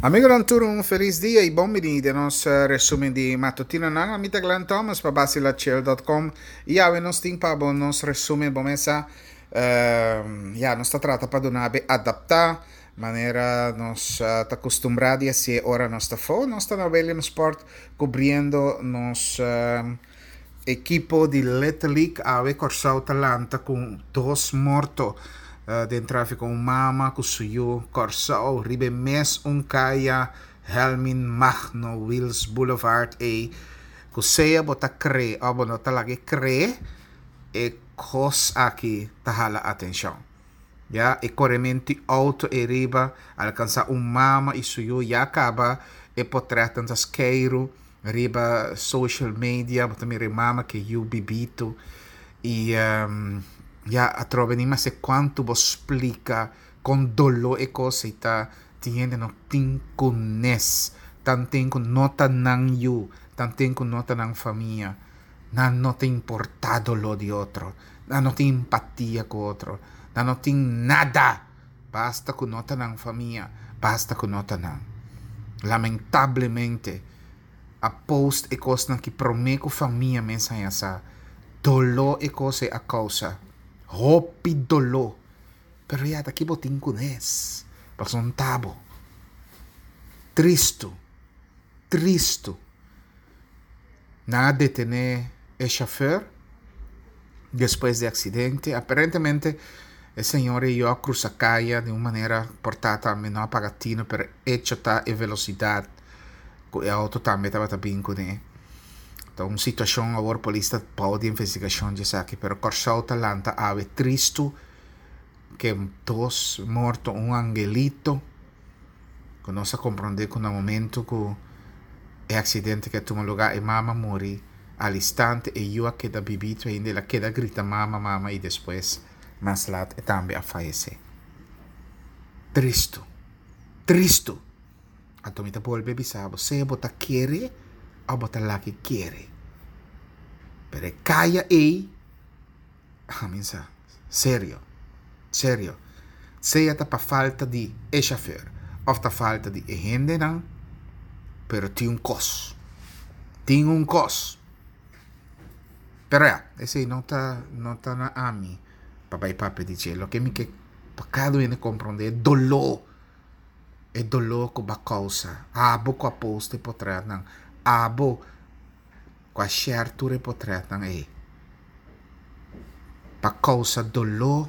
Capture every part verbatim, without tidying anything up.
Amigonan tur un felis dia y bon bini den nos resumen di matutinonan. Ami ta Glenn Thomas pa Basilachel dot com y awe nos tin pa bo nos resumen bo mesa. Uh, ya, nos ta trata pa duna be adapta manera nos uh, ta acostumbra di haci ora nos ta fo. Nos ta na Williamsport cubriendo nos uh, equipo di Little League. Awe Corsou ta lanta cu dos morto uh, den tráfiko, un mama ku su yu. Kòrsou riba mes un kaya Helmin Magno Wills Boulevard e ku sea bo ta kre o bo no ta lage kre, e kos aki ta hala atenshon. Ya, e korementu outo e riba alkansá un mama i su yu. Ya kaba e portrètnan ta skeiru riba social media, bo ta mira e mama ku e yu bibitu i um, ya, atrobe ni mas kuantu bo splika kon doló e kos ei ta. Tin hende no tin kunes, tanten ku no ta nan yu, tanten ku no ta nan famia, nan no ta importá doló di otro, nan no tin empatia ku otro, nan no tin nada, basta ku no ta nan famia, basta ku no ta nan. Lamentablemente a post e kosnan ki promé ku famia mes haña sa. Doló e kos ei a kousa, hopi doló, pero ya ta ki bo tin kunes, pasobra no ta bo. Tristu, tristu. Nan a detené e shofùr despues di aksidente. Aparentemente e señor ei a krusa kaya di un manera por ta tambe no a paga tino, pero hecho ta e velosidat ku e outo tambe tabata bin kuné. Ta un situashon awor polis ta bou di investigashon di esaki, pero Kòrsou ta lanta awe tristu ku dos morto, un angelito ku nos a komprondé ku na momento ku e aksidente ku a tuma lugá e mama muri al instante, e yu a keda bibito ainda, el a keda grita "mama, mama" i despues mas lat e tambe a fayesé. Tristu, tristu. Anto mi ta bolbe bisa bo, sea bo ta kere òf bo ta laga kere, pero e kaya ei, ami sa, serio, serio, sea ta pa falta di e shofùr òf ta falta di e hendenan, pero tin un kos, tin un kos. Pero ya, esei no ta no ta na ami pa bai papia di dje. Loke mi ke pa kada hende komprondé e doló, e doló ku bo a kousa, abo ku a post e potrètnan, abo ku a share tur e potrètnan ei, pa kousa doló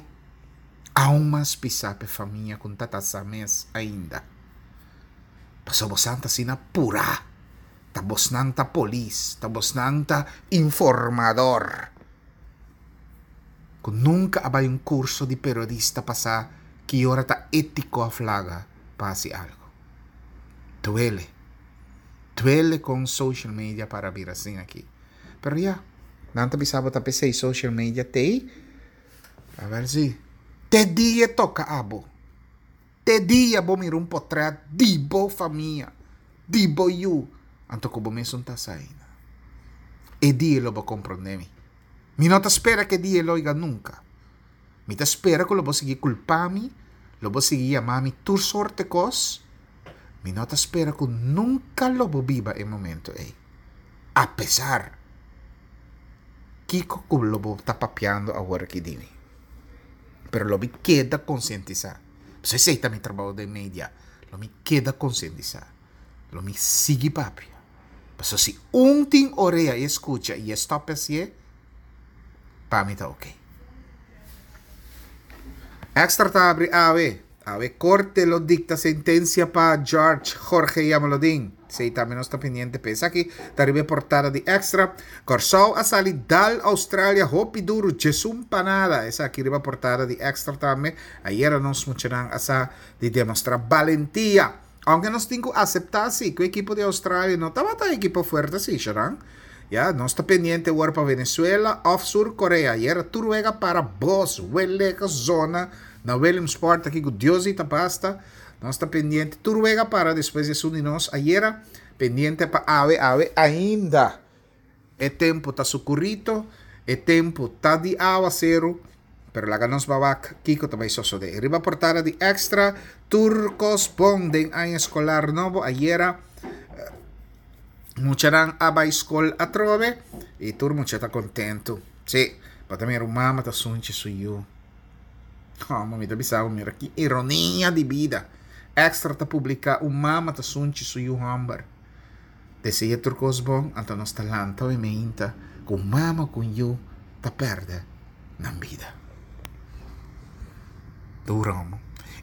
aun mas pisá pa e famia ku ta sa mes ainda. Pasobra boso ta asina purá, ta bosnan ta polis, ta bosnan ta informador, ku nunka a bai un kurso di periodista pa sa ki ora ta étiko òf laga pa hasi algu. Duele. Duele kon social media para bira asin aki. Pero ya, nan ta bisa bo ta p'esei social media t'ei. A ber si te dia toka abo. Te dia bo mira un potrèt di bo famia, di bo yu, anto ku bo mesun ta sa ainda. E dia lo bo komprondé mi. Mi no ta spera ku e dia lo yega nunka. Mi ta spera ku lo bo sigui kulpa mi, lo bo sigui yama mi tur sorto kos. Mi no ta spera ku nunka lo bo biba e momento ei. Apesar kiko ku lo bo ta papiando awor aki di mi. Pero lo mi keda konsientisá. Pasobra esei ta mi trabou den media. Lo mi keda konsientisá. Lo mi sigui papia. Pasobra si un tin orea i e skucha i e stòp hasié, pa mi ta oké. Extra ta abri awe. Awe korte lo dikta sentensia pa George Jorge Jamaloodin. Esei tambe nos ta pendiente pa esaki. Ta riba e portada di Extra. Kòrsou a sali dal Australia hopi duru djesun pa nada. Esaki riba portada di Extra tambe. Ayera nos muchanan a sa di demostrá balentia. Aunke nos tin ku aseptá si ku ekipo di Australia no tabata ekipo fuerte si, Sharan. Ya, nos ta pendiente awor pa Venezuela òf Sur Korea. Ayera tur wega para bos, weleka zona na Williamsport aki ku Dios i ta basta. Nos ta pendiente tur wega para despues di esun di nos ayera. Pendiente pa awe, awe ainda e tempu ta sukurito, e tempu ta di awaseru. Pero laga nos ban wak kiko ta bai sosodé. Riba portada di Extra, tur kos bon den aña eskolar nobo. Ayera muchanan a bai skol atrobe i tur mucha ta kontentu. Sí, bo ta mira un mama ta sunchi su yu. Oh, mi ta bisa, mira ki ironia di bida. Extra ta publiká un mama ta sunchi su yu hòmber. Desea tur kos bon, anto nos ta lanta i meinta ku mama ku yu ta pèrdè nan bida. Duro.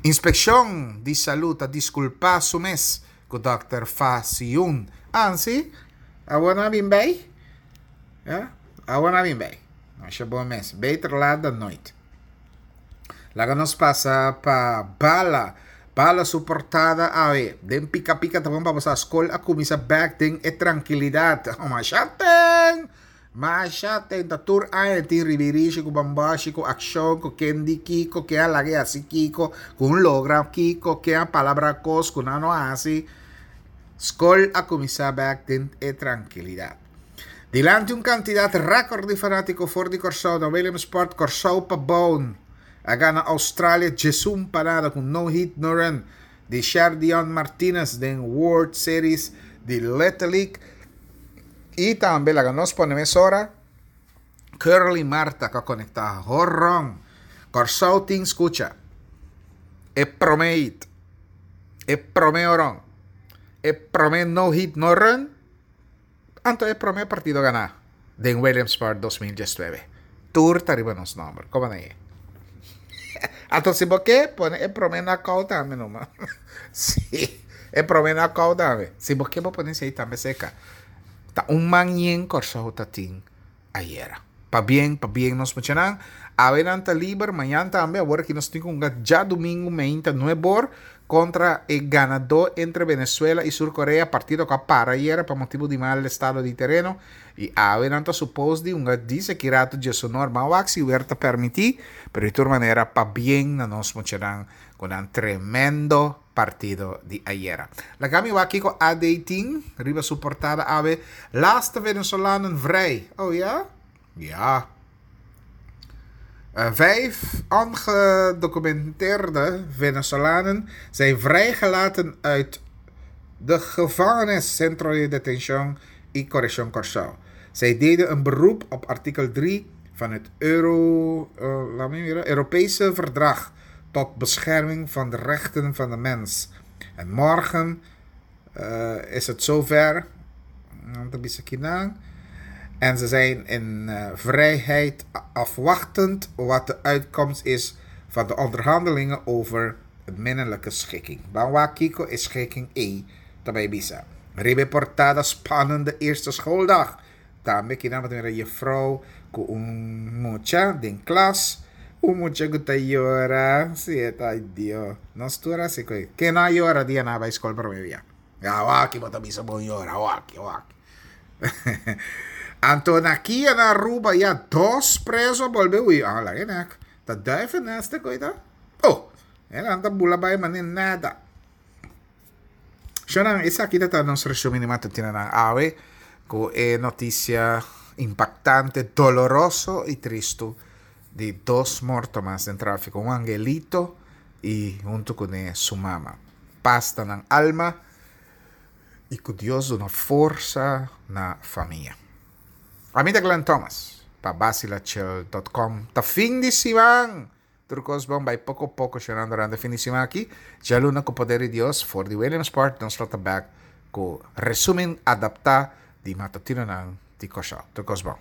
Inspekshon di Salú ta diskulpá su mes ku dòkter Fa Siun. Ah, si? Awor nan a bin bei? Ja? Awor nan a bin bei. Masha bon mes. Beter laat dan nooit. Laga nos pasa pa Bala. Bala su portada awe. Den pika pika ta bon pa bosa skol a kuminsá bèk den e trankilidat. Oh, masha ten! Masha ten! Ta tur aña tin ribirishi ku bambashi ku akshon ku ken di kiko, ken a laga e hasi kiko, ku un logra kiko, ken a palabra kos ku nan no a hasi. Skol a kuminsá bèk den e trankilidat. Dilanti un kantidat rèkòrt di fanátiko for di Kòrsou na Williamsport, Kòrsou pa Boun a gana Australia djesun pa nada ku no hit no run di Sherdion Martinez den World Series di Little League. I tambe laga nos pone mesora Curly Marta ku a konektá horon. Kòrsou tin skucha e promé hit, e promé horon, e promé no hit no run, anto e promé partido ganá den Williamsport dos mil diesnuebe. Tur ta riba nos nòmber. Komo nan e? Anto si bo ke, pone e promé knockout tambe numa. Sí, e promé knockout tambe. Si bo ke bo pone esei tambe seka. Ta un man yen Kòrsou ta tin ayera. Pabien, pabien nos muchanan. Awe nan ta liber, mañan tambe. Awor aki nos tin ku hunga djadumingu meinta nuebor kontra e ganadó entre Venezuela i Sur Korea, partido ku a para ayera pa motibu di mal estado di tereno. I awe nan ta supos di hunga dise ki ratu djesonor. Ban wak si wer ta permití, pero di tur manera pabien na nos muchanan ku nan tremendo partido di ayera. Laga mi wak kiko A D tin riba su portada awe. Laatste Venezolanen vrij. Oh ja? Ja. Uh, vijf ongedocumenteerde Venezolanen zijn vrijgelaten uit de gevangenis Centro de Detención y Corrección Kòrsou. Zij deden een beroep op artikel drie van het Euro, uh, laat me mira, Europese Verdrag tot bescherming van de rechten van de mens. En morgen uh, is het zover. En ze zijn in uh, vrijheid, afwachtend wat de uitkomst is van de onderhandelingen over minnelijke schikking. Ban wak kiko e schikking ei ta bai bisa. Riba portada, spannende eerste schooldag. Tambe aki nan mira juffrouw ku un mucha den klas. Un mucha ku ta yora. Si, ta Dios. Nos tur asina ku. Ken no a yora dia nan a bai skol promé bia? Ya, wak, bo ta bisa bon yora, wak, wak. Anto na kia na Aruba ya dos preso a bolbe hui. Ah, laga nek. Ta duivennest e koita. Oh, e nan ta bula bai mane nada. Shonan, esaki ta nos resumen di matutinonan awe ku e notisia impaktante, doloroso i tristu di dos morto mas den tráfiko, un angelito i huntu kuné su mama. Pas ta nan alma i ku Dios duna forsa na famia. Ami ta Glenn Thomas pa basilachel dot com. Ta fin di siman! Tur kos bon bai poko poko shonando durante fin di siman aki. Djaluna ku poder di Dios for di Williamsport nos lo ta bek ku resumen adaptá di matutinonan di Kòrsou. Tur kos bon.